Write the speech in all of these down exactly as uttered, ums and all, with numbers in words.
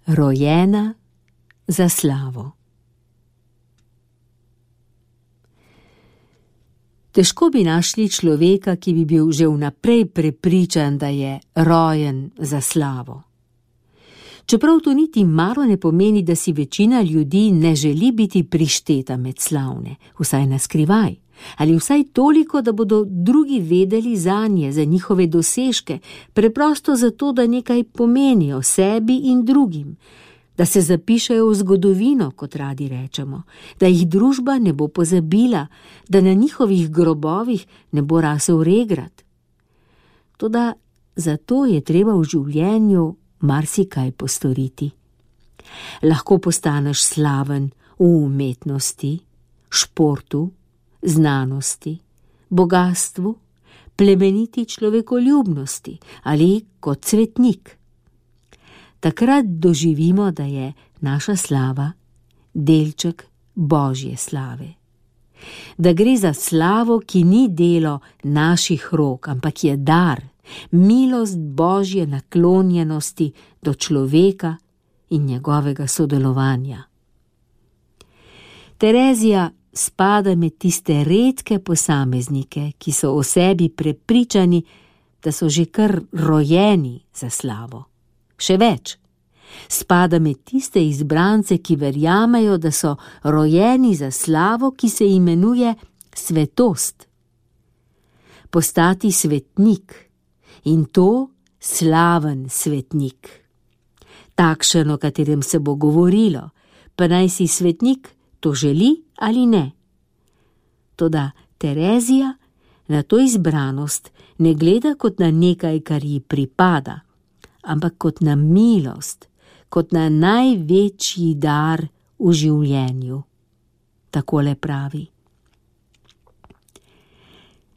Rojena za slavo. Težko bi našli človeka, ki bi bil že vnaprej prepričan, da je rojen za slavo. Čeprav to niti malo ne pomeni, da si večina ljudi ne želi biti prišteta med slavne, vsaj na skrivaj, ali vsaj toliko, da bodo drugi vedeli zanje, za njihove dosežke, preprosto zato, da nekaj pomenijo sebi in drugim, da se zapišejo v zgodovino, kot radi rečemo, da jih družba ne bo pozabila, da na njihovih grobovih ne bo rasel regrat. Toda zato je treba v življenju marsikaj postoriti. Lahko postaneš slaven v umetnosti, športu, znanosti, bogastvu, plemeniti človekoljubnosti ali kot svetnik. Takrat doživimo, da je naša slava delček Božje slave. Da gre za slavo, ki ni delo naših rok, ampak je dar, milost Božje naklonjenosti do človeka in njegovega sodelovanja. Terezija spada med tiste redke posameznike, ki so o sebi prepričani, da so že kar rojeni za slavo. Še več, spada med tiste izbrance, ki verjamejo, da so rojeni za slavo, ki se imenuje svetost. Postati svetnik, in to slaven svetnik. Takšen, o katerem se bo govorilo, pa naj si svetnik to želi ali ne. Toda Terezija na to izbranost ne gleda kot na nekaj, kar ji pripada, ampak kot na milost, kot na največji dar v življenju. Takole pravi: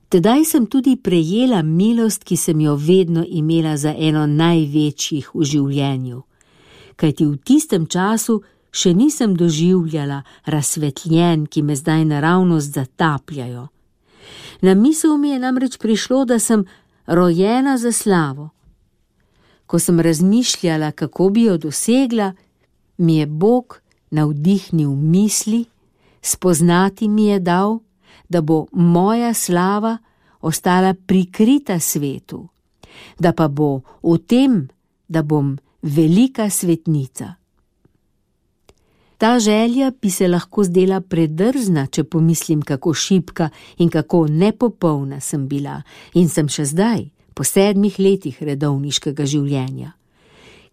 Tedaj sem tudi prejela milost, ki sem jo vedno imela za eno največjih v življenju, kajti v tistem času še nisem doživljala razsvetljenj, ki me zdaj naravnost zatapljajo. Na misel mi je namreč prišlo, da sem rojena za slavo. Ko sem razmišljala, kako bi jo dosegla, mi je Bog navdihnil misli, spoznati mi je dal, da bo moja slava ostala prikrita svetu, da pa bo v tem, da bom velika svetnica. Ta želja bi se lahko zdela predrzna, če pomislim, kako šibka in kako nepopolna sem bila in sem še zdaj, po sedmih letih redovniškega življenja.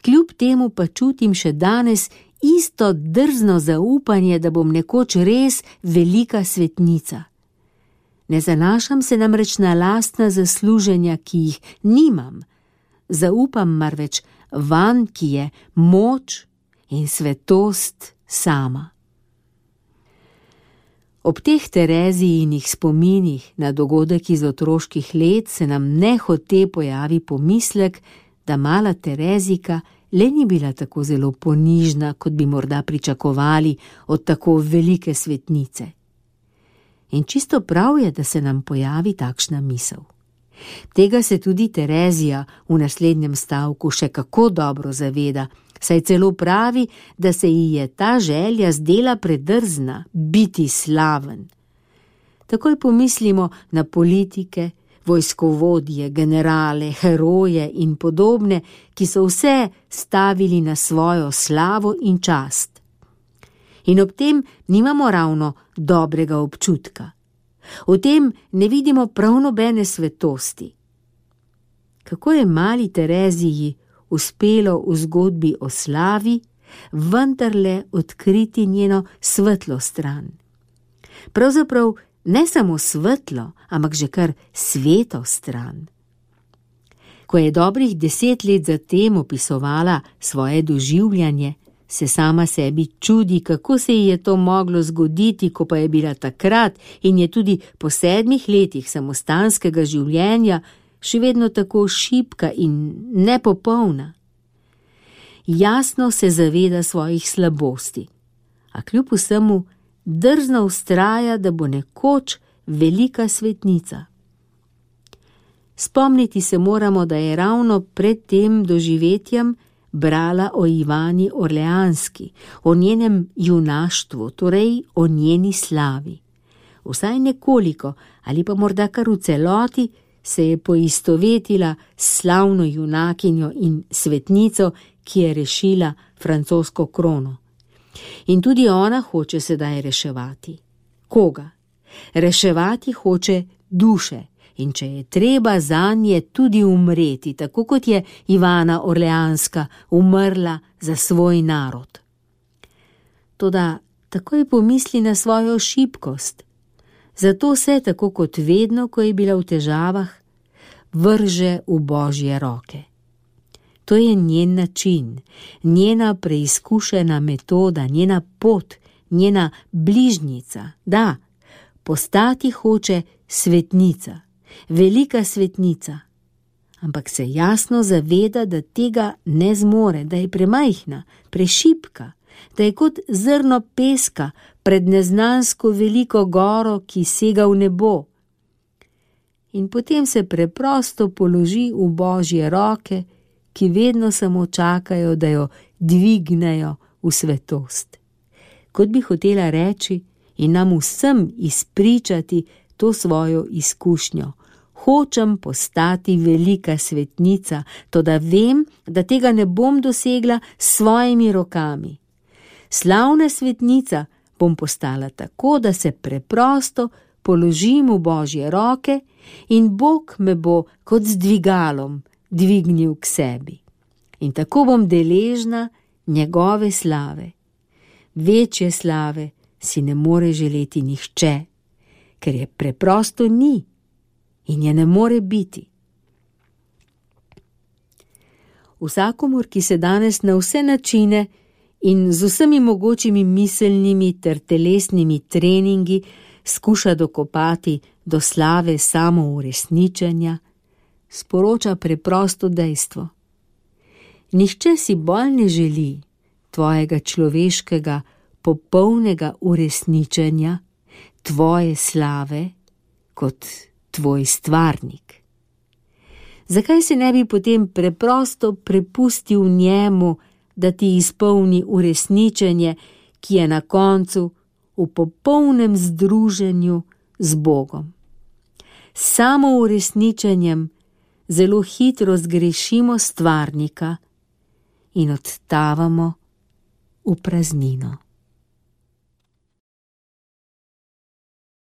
Kljub temu pa čutim še danes isto drzno zaupanje, da bom nekoč res velika svetnica. Ne zanašam se namreč na lastna zasluženja, ki jih nimam. Zaupam marveč vanj, ki je moč in svetost sama. Ob teh Terezijinih spominih na dogodek iz otroških let se nam nehote pojavi pomislek, da mala Terezika le ni bila tako zelo ponižna, kot bi morda pričakovali od tako velike svetnice. In čisto prav je, da se nam pojavi takšna misel. Tega se tudi Terezija v naslednjem stavku še kako dobro zaveda, saj celo pravi, da se ji je ta želja zdela predrzna, biti slaven. Takoj pomislimo na politike, vojskovodje, generale, heroje in podobne, ki so vse stavili na svojo slavo in čast. In ob tem nimamo ravno dobrega občutka. V tem ne vidimo prav nobene svetosti. Kako je mali Tereziji uspelo v zgodbi o slavi vendarle odkriti njeno svetlo stran. Pravzaprav ne samo svetlo, ampak že kar sveto stran. Ko je dobrih deset let zatem opisovala svoje doživljanje, se sama sebi čudi, kako se ji je to moglo zgoditi, ko pa je bila takrat in je tudi po sedmih letih samostanskega življenja še vedno tako šibka in nepopolna. Jasno se zaveda svojih slabosti, a kljub vsemu drzno vztraja, da bo nekoč velika svetnica. Spomniti se moramo, da je ravno pred tem doživetjem brala o Ivani Orleanski, o njenem junaštvu, torej o njeni slavi. Vsaj nekoliko, ali pa morda kar v celoti, se je poistovetila s slavno junakinjo in svetnico, ki je rešila francosko krono. In tudi ona hoče sedaj reševati. Koga? Reševati hoče duše, in če je treba zanje tudi umreti, tako kot je Ivana Orleanska umrla za svoj narod. Toda takoj pomisli na svojo šibkost, zato se, tako kot vedno, ko je bila v težavah, vrže v Božje roke. To je njen način, njena preizkušena metoda, njena pot, njena bližnjica. Da, postati hoče svetnica, velika svetnica, ampak se jasno zaveda, da tega ne zmore, da je premajhna, prešibka, da je kot zrno peska pred neznansko veliko goro, ki sega v nebo. In potem se preprosto položi v Božje roke, ki vedno samo čakajo, da jo dvignejo v svetost. Kot bi hotela reči in nam vsem izpričati to svojo izkušnjo. Hočem postati velika svetnica, toda vem, da tega ne bom dosegla s svojimi rokami. Slavna svetnica bom postala tako, da se preprosto položim v Božje roke in Bog me bo kot z dvigalom dvignil k sebi. In tako bom deležna njegove slave. Večje slave si ne more želeti nihče, ker je preprosto ni in je ne more biti. Vsakomur, ki se danes na vse načine in z vsemi mogočimi miselnimi ter telesnimi treningi skuša dokopati do slave samouresničenja, sporoča preprosto dejstvo. Nihče si bolj ne želi tvojega človeškega, popolnega uresničenja, tvoje slave, kot tvoj stvarnik. Zakaj se ne bi potem preprosto prepustil njemu, da ti izpolni uresničenje, ki je na koncu v popolnem združenju z Bogom? Samo uresničenjem zelo hitro zgrešimo stvarnika in odtavamo v praznino.